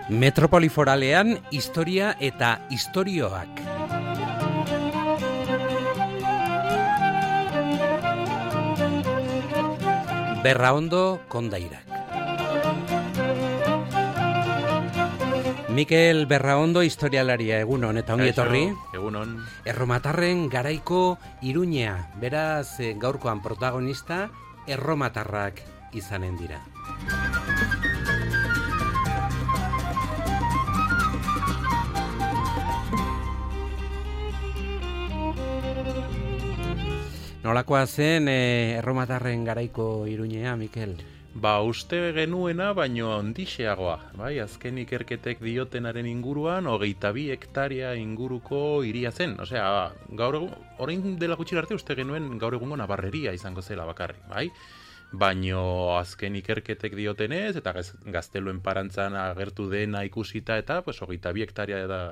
Metropoli foralean historia eta istorioak. Berraondo kondairak. Mikel Berraondo historialaria, egunon eta ongi etorri. Egunon. Erromatarren garaiko Iruñea, beraz gaurkoan protagonista erromatarrak izanen dira. Nolakoa zen erromatarren garaiko Iruñea, Mikel? Uste genuena, baino handixeagoa. Bai, azken ikerketek diotenaren inguruan, 22 hektaria inguruko hiria zen. Osea, gaur egun, orain dela gutxi arte uste genuen gaur egungo Nabarreria izango zela bakarrik, bai? Baino azken ikerketek diotenez, eta gazteluen parantzan agertu dena ikusita, eta 22 hektaria da,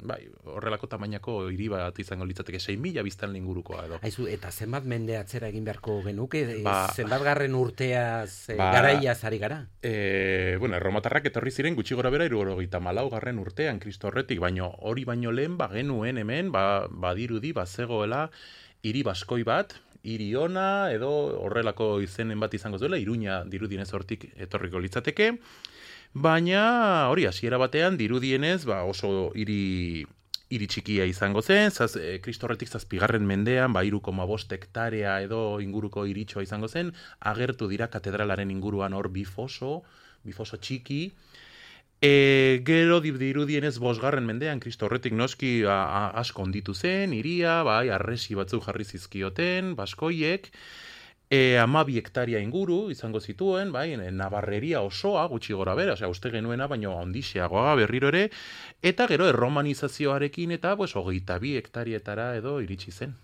bai, horrelako tamainako hiri bat izango litzateke 6.000 biztanle ingurukoa edo. Aizu, eta zenbat mende atzera egin beharko genuke? Zenbat garren urteaz garaiaz ari gara? Erromatarrak etorri ziren gutxi gora bera 74 garren urtean Kristo horretik, baino hori baino lehen genuen hemen, badirudi, bazegoela hiri baskoi bat, hiri ona edo horrelako izenen bat izango zuela, Iruña dirudienez hortik etorriko litzateke, baina hori hasiera batean dirudienez oso hiri txikia izango zen, Kristo horretik 7. mendean 3,5 hektarea edo inguruko hiritxoa izango zen, agertu dira katedralaren inguruan hor bifoso txiki. Gero dirudienez 5. mendean Kristo horretik noski asko onditu zen, hiria, arresi batzuk jarri zizkioten, baskoiek, 12 hektaria inguru izango zituen, Nabarreria osoa, gutxi gora bera, uste genuena, baino handixeagoa berriro ere, eta gero erromanizazioarekin eta 22 hektarietara edo iritsi zen.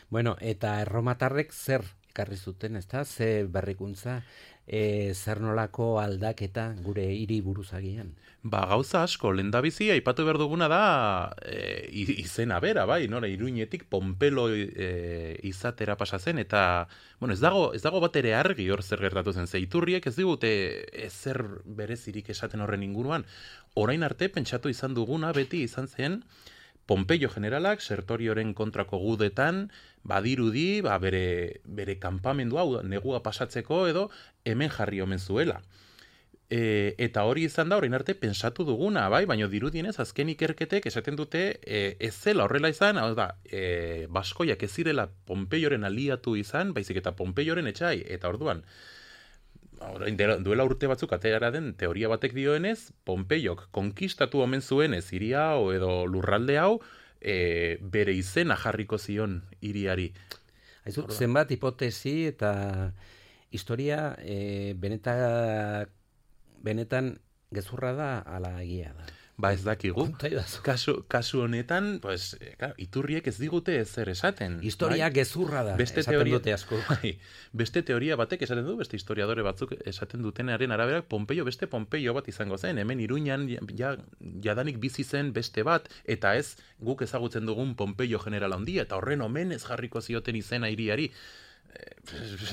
Bueno, eta erromatarrek zer ekarri zuten, ezta? Ze berrikuntza, zer nolako aldaketa gure hiri buruzagian? Gauza asko, lehendabizi aipatu behar duguna da izena bera, nora Iruñetik Pompelo izatera pasa zen, eta ez dago bat ere argi hor zer gertatu zen, ze iturriek ez digute ezer berezirik esaten horren inguruan. Orain arte pentsatu izan duguna beti izan zen Pompeio generalak Sertorioren kontrako gudetan badirudi bere kanpamendua negua pasatzeko edo hemen jarri omen zuela. Eta hori izan da orain arte pentsatu duguna, baina dirudienez azken ikerketek esaten dute ez zela horrela izan, hau da, baskoiak ez zirela Pompeioren aliatu izan, baizik eta Pompeioren etxai, eta orduan, duela urte batzuk atera den teoria batek dioenez, Pompeiok konkistatu omen zuenez hiri hau edo lurralde hau, bere izena jarriko zion hiriari. Aizu, zenbat hipotesi eta historia benetan gezurra da ala egia da? Ez dakigu. Kasu honetan, iturriek ez digute ezer esaten. Historia gezurra da, esaten dute asko. Beste teoria batek esaten du, beste historiadore batzuk esaten dutenaren arabera, beste Pompeio bat izango zen, hemen Iruñan jadanik bizi zen beste bat, eta ez guk ezagutzen dugun Pompeio general handia, eta horren omenez jarriko zioten izena hiriari.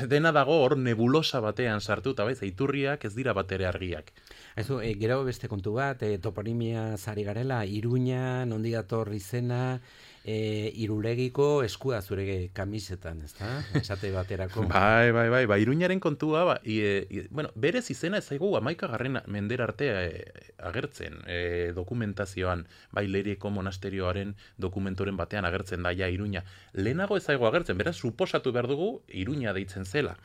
Dena dago hor nebulosa batean sartuta, iturriak ez dira batere argiak. Gero beste kontu bat, toponimia zari garela, Iruña, nondi dator izena, Irulegiko eskua zure kamisetan, ezta? Esate baterako. Iruñaren kontua, berez izena ez zaigu 11. mendera arte agertzen dokumentazioan, Leireko monasterioaren dokumentoren batean agertzen da Iruña. Lehenago ez zaigu agertzen, beraz suposatu behar dugu Iruña deitzen zela.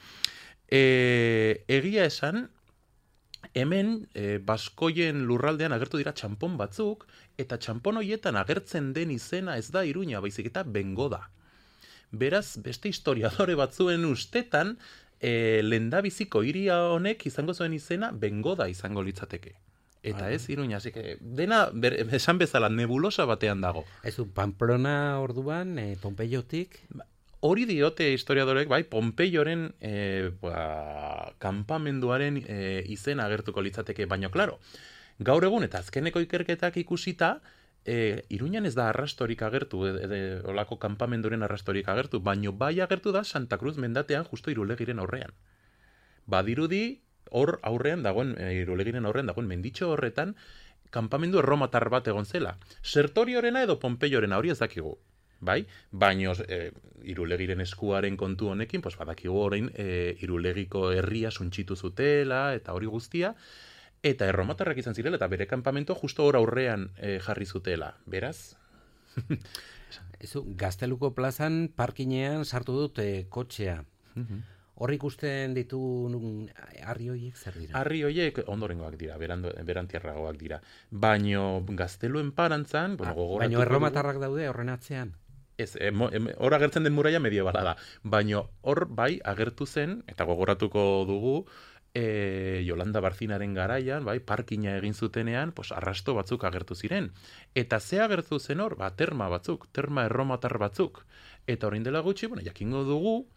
Egia esan, hemen baskoien lurraldean agertu dira txanpon batzuk, eta txanpon horietan agertzen den izena ez da Iruña, baizik eta Bengo da. Beraz, beste historiadore batzuen ustetan, lehendabiziko hiria honek izango zuen izena Bengo da izango litzateke. Eta ez Iruña, así que dena esan bezala nebulosa batean dago. Pamplona orduan, Pompeiotik? hori diote historiadorek, bai, Pompeioren kanpamenduaren izena agertuko litzateke, baino, klaro, gaur egun eta azkeneko ikerketak ikusita, Iruñan ez da arrastorik agertu, olako kanpamenduren arrastorik agertu, baino bai agertu da Santa Cruz mendatean justo Irulegiren aurrean. Badirudi, hor aurrean dagoen, Irulegiren aurrean dagoen menditxo horretan, kanpamendu erromatar bat egon zela. Sertoriorena edo Pompeiorena hori ez dakigu. Bai? Baino Irulegiren eskuaren kontu honekin, pues badakigu orain Irulegiko herria suntxitu zutela eta hori guztia, eta erromatarrak izan zirela, eta bere kanpamentua justo hor aurrean jarri zutela. Beraz? Gazteluko plazan parkinean sartu dut kotxea. Hor ikusten ditu harri horiek zer dira? Harri horiek ondorengoak dira, berantiarragoak dira. Baino Gazteluen parantzan, baino erromatarrak daude horren atzean? Ez, hor agertzen den muraia mediebala da. Baino hor bai agertu zen, eta gogoratuko dugu, Yolanda Barcinaren garaian, bai, parkina egin zutenean, pues, arrasto batzuk agertu ziren. Eta ze agertu zen hor? Terma batzuk, terma erromatar batzuk. Eta orain dela gutxi, jakingo dugu,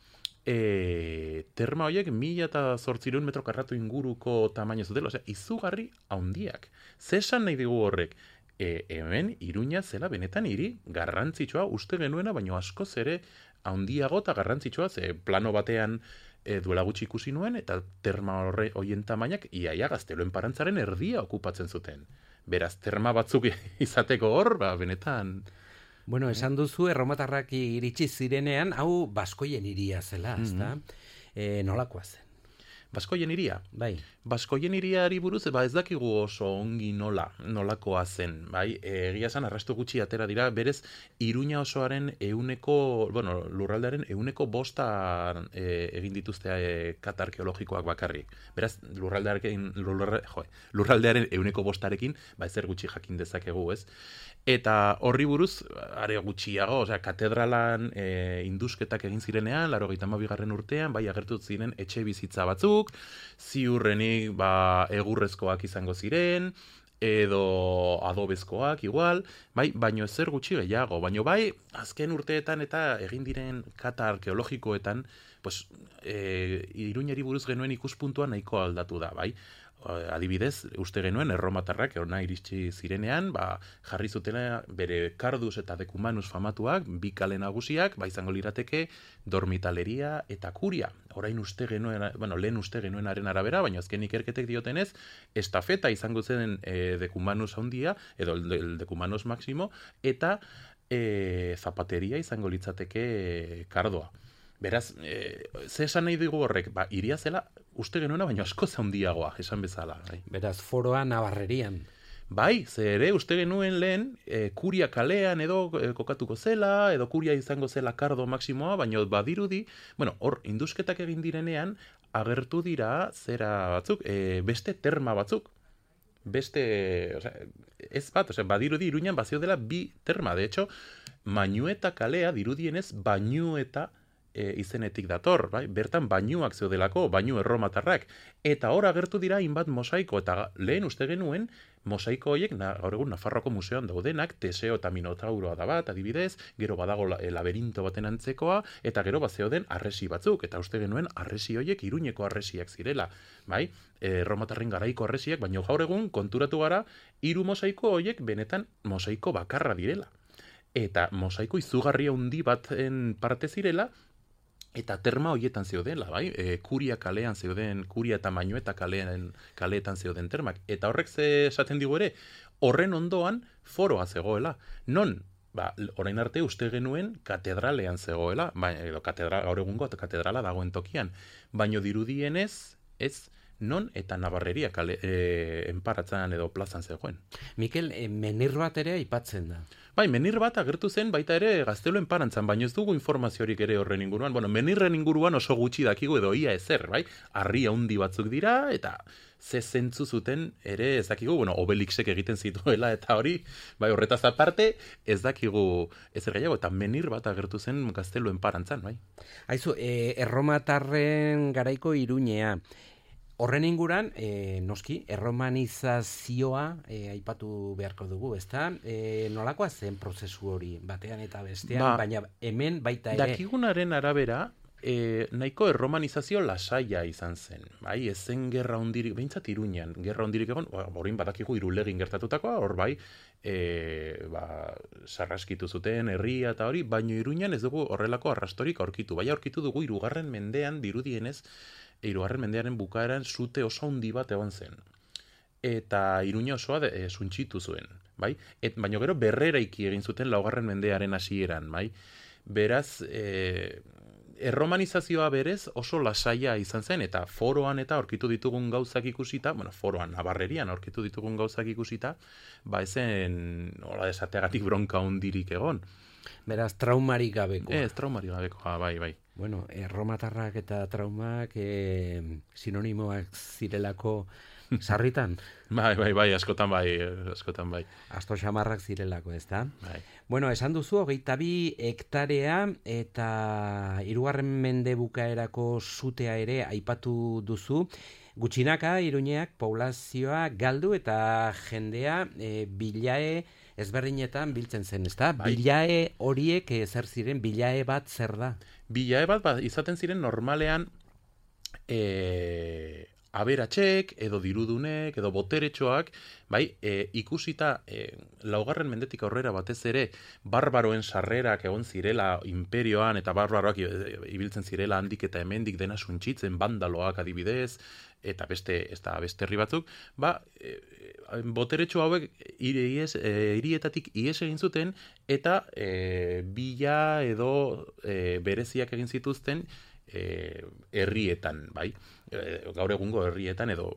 terma horiek 1.800 metro karratu inguruko tamaino zutela, osea, izugarri haundiak. Ze esan nahi digu horrek? Hemen, Iruña zela benetan hiri garrantzitsua uste genuena, baino askoz ere haundiago eta garrantzitsua, ze plano batean duela gutxi ikusi nuen, eta terma horien tamainak iaia Gazteluen parantzaren erdia okupatzen zuten. Beraz, terma batzuk izateko hor, benetan... Bueno, esan duzu, erromatarrak iritsi zirenean, hau baskoien iria zela, ezta? Nolakoa zen? Baskoien iria? Bai. Baskoien iriari buruz, ez dakigu oso ongi nolakoa zen, bai? Egia esan, arrasto gutxi atera dira, berez, Iruña osoaren lurraldearen 1/5 egin dituzte kata arkeologikoak bakarrik. Beraz, lurraldearen 1/5 ezer gutxi jakin dezakegu, ez? Eta horri buruz, are gutxiago, katedralan indusketak egin zirenean, 82. urtean, bai agertu ziren etxe bizitza batzuk, ziurrenik egurrezkoak izango ziren, edo adobezkoak igual, bai, baino ezer gutxi gehiago, baino bai, azken urteetan eta egin diren kata arkeologikoetan, pues, Iruñari buruz genuen ikuspuntua nahiko aldatu da, bai. Adibidez, uste genuen erromatarrak hona iritsi zirenean, jarri zutela bere Cardus eta Decumanus famatuak, bi kale nagusiak, izango lirateke dormitaleria eta kuria. Orain uste genuen, lehen uste genuenaren arabera, baina azken ikerketek diotenez, estafeta izango zen Decumanus handia, edo el Decumanus máximo, eta zapateria izango litzateke kardoa. Beraz, ze esan nahi dugu horrek? Iria zela uste genuena, baina asko handiagoa, esan bezala. Bai. Beraz, foroa Navarrerian. Bai, ze ere uste genuen lehen kuria kalean edo kokatuko zela, edo kuria izango zela kardo maksimoa, baina badirudi, hor, indusketak egin direnean, agertu dira zera batzuk, beste terma batzuk. Ez bat, badirudi Iruñan bazio dela bi terma. De hecho, Mañueta kalea dirudienez Bañueta izenetik dator, bai? Bertan bainuak zeudelako, bainu erromatarrak. Eta hor agertu dira hainbat mosaiko, eta lehen uste genuen mosaiko horiek gaur egun Nafarroko museoan daudenak, Teseo eta Minotauroa da bat, adibidez, gero badago laberinto baten antzekoa, eta gero zeuden arresi batzuk, eta uste genuen arresi horiek Iruñeko arresiak zirela, bai? Erromatarren garaiko arresiak, baina gaur egun konturatu gara, 3 mosaiko horiek benetan mosaiko bakarra direla. Eta mosaiko izugarria handi baten parte zirela, eta terma horietan zeudela, bai? Kuria kalean zeuden, Kuria eta Mañueta kaleetan zeuden termak. Eta horrek ze esaten digu ere, horren ondoan foroa zegoela. Non? Orain arte uste genuen katedralean zegoela, edo gaur egungo katedrala dagoen tokian. Baino dirudienez, ez, non eta Navarreria enparatzan edo plazan zegoen. Mikel, menir bat ere aipatzen da. Bai, menir bat agertu zen baita ere Gazteluen parantzan, baina ez dugu informaziorik ere horren inguruan. Menirren inguruan oso gutxi dakigu edo ia ezer, bai? Harri handi batzuk dira, eta ze zentzu zuten ere ez dakigu, Obelixek egiten zituela, eta hori, bai, horretaz aparte, ez dakigu ezer gehiago, eta menir bat agertu zen Gazteluen parantzan, bai? Aizu, erromatarren garaiko Iruñea, Horren inguran, noski, erromanizazioa aipatu beharko dugu, ezta? Nolakoa zen prozesu hori, batean eta bestean, baina hemen baita ere... Dakigunaren arabera, nahiko erromanizazio lasaia izan zen. Bai, ez zen gerra hondirik, behintzat Iruñan, gerra hondirik egon, horin badakigu Irulegin gertatutakoa, hor bai, sarraskitu zuten herria eta hori, baino Iruñan ez dugu horrelako arrastorik aurkitu. Bai, aurkitu dugu 3. mendean, dirudienez, 3. mendearen bukaeran zute oso handi bat egon zen. Eta Iruña osoa suntxitu zuen, bai? Baina gero berreraiki egin zuten 4. mendearen hasieran, bai? Beraz, erromanizazioa berez oso lasaia izan zen, eta foroan eta aurkitu ditugun gauzak ikusita, foroan, Navarrerian aurkitu ditugun gauzak ikusita, ezen, hola esateagatik bronka hundirik egon. Beraz, traumarik gabeko. Ez, traumarik gabeko, bai. Bueno, erromatarrak eta traumak sinonimoak zirelako sarritan? Bai, askotan bai. Asto xamarrak zirelako, ezta? Bai. Bueno, esan duzu, 22 hektarea eta 3. mende bukaerako zutea ere aipatu duzu. Gutxinaka, Iruñeak poblazioa galdu eta jendea bilae ezberdinetan biltzen zen, ezta? Bai. Bilae horiek zer ziren, bilae bat zer da? Bilae bat izaten ziren normalean aberatxek, edo dirudunek, edo boteretxoak, bai, ikusita 4. mendetik aurrera batez ere barbaroen sarrerak egon zirela imperioan, eta barbaroak ibiltzen zirela handik eta hemendik dena suntxitzen, bandaloak adibidez, eta beste herri batzuk, boteretxo hauek hirietatik ihes egin zuten, eta bila edo bereziak egin zituzten herrietan, bai? Gaur egungo herrietan edo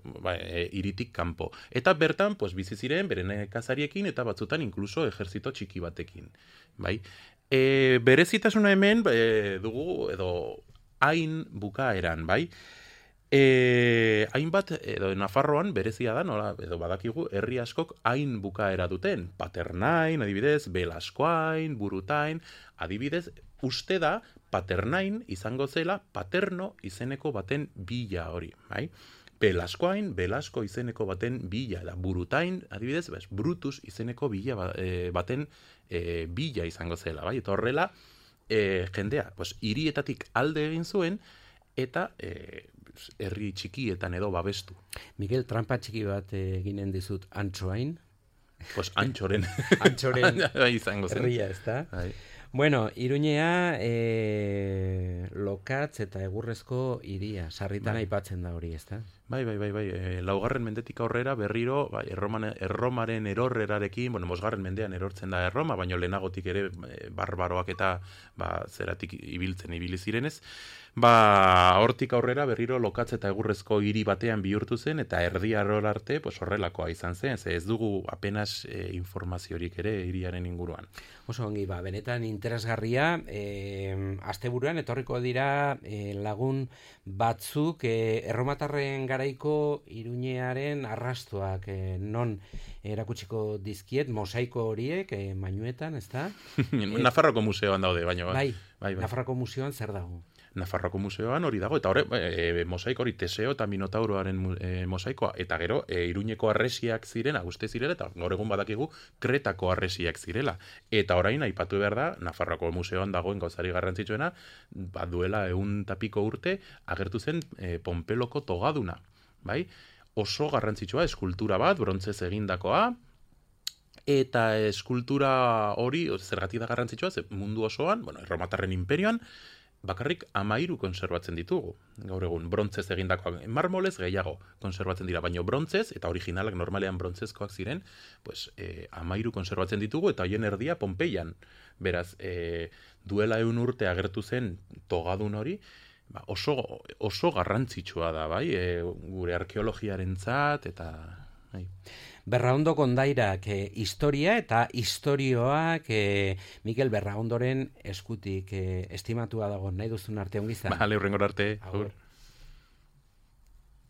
hiritik kanpo. Eta bertan, bizi ziren beren nekazariekin eta batzutan inkluso ejerzito txiki batekin, bai? Berezitasuna hemen dugu edo hain bukaeran, bai? Hainbat, edo Nafarroan berezia da, nola, edo badakigu, herri askok hain bukaera duten. Paternain, adibidez, Belaskoain, Burutain, adibidez, uste da, Paternain izango zela paterno izeneko baten bila hori, bai? Belaskoain, Belasko izeneko baten bila, da Burutain, adibidez, Brutus izeneko bila baten bila izango zela, bai? Eta horrela, jendea, hirietatik alde egin zuen, eta herri txikietan edo babestu. Miguel, trampa txiki bat eginen dizut Antxoain? Antxoren. Antxoren izango zen. Herria, ezta? Bueno, Iruñea lokatz eta egurrezko hiria, sarritan aipatzen da hori, ezta? Bai. 4. mendetik aurrera berriro, Erromaren erorrerarekin, 5. mendean erortzen da Erroma, baina lehenagotik ere barbaroak eta zeratik ibili zirenez, hortik aurrera berriro lokatz eta egurrezko hiri batean bihurtu zen, eta Erdi Aror arte horrelakoa izan zen, ez dugu apenas informaziorik ere hiriaren inguruan. Oso ongi, benetan interesgarria, asteburuan etorriko dira lagun batzuk erromatarren garaiko Iruñearen arrastoak non erakutsiko dizkiet, mosaiko horiek, mainuetan, ezta? Nafarroko museoan daude, baina bai. Nafarroko museoan zer dago? Nafarroko museoan hori dago, eta mosaiko hori Teseo eta Minotauroaren mosaikoa, eta gero Iruñeko arresiak ziren, uste zirela, eta gaur egun badakigu Kretako arresiak zirela. Eta orain aipatu behar da, Nafarroko museoan dagoen gauzari garrantzitsuena, duela 100 piko urte agertu zen Pompeloko togaduna, bai? Oso garrantzitsua, eskultura bat, brontzez egindakoa, eta eskultura hori, zergatik da garrantzitsua, mundu osoan, Erromatarren imperioan, bakarrik 13 konserbatzen ditugu, gaur egun, brontzez egindakoak, marmolez gehiago konserbatzen dira, baina brontzez, eta originalak normalean brontzezkoak ziren, 13 konserbatzen ditugu, eta hoien erdia Pompeian. Beraz, duela 100 urte agertu zen togadun hori, oso garrantzitsua da, bai, gure arkeologiarentzat, eta... Berraondo kondairak historia eta istorioak Mikel Berraondoren eskutik estimatua dago, nahi duzun arte ongi izan. Bale, hurrengor arte. Agur.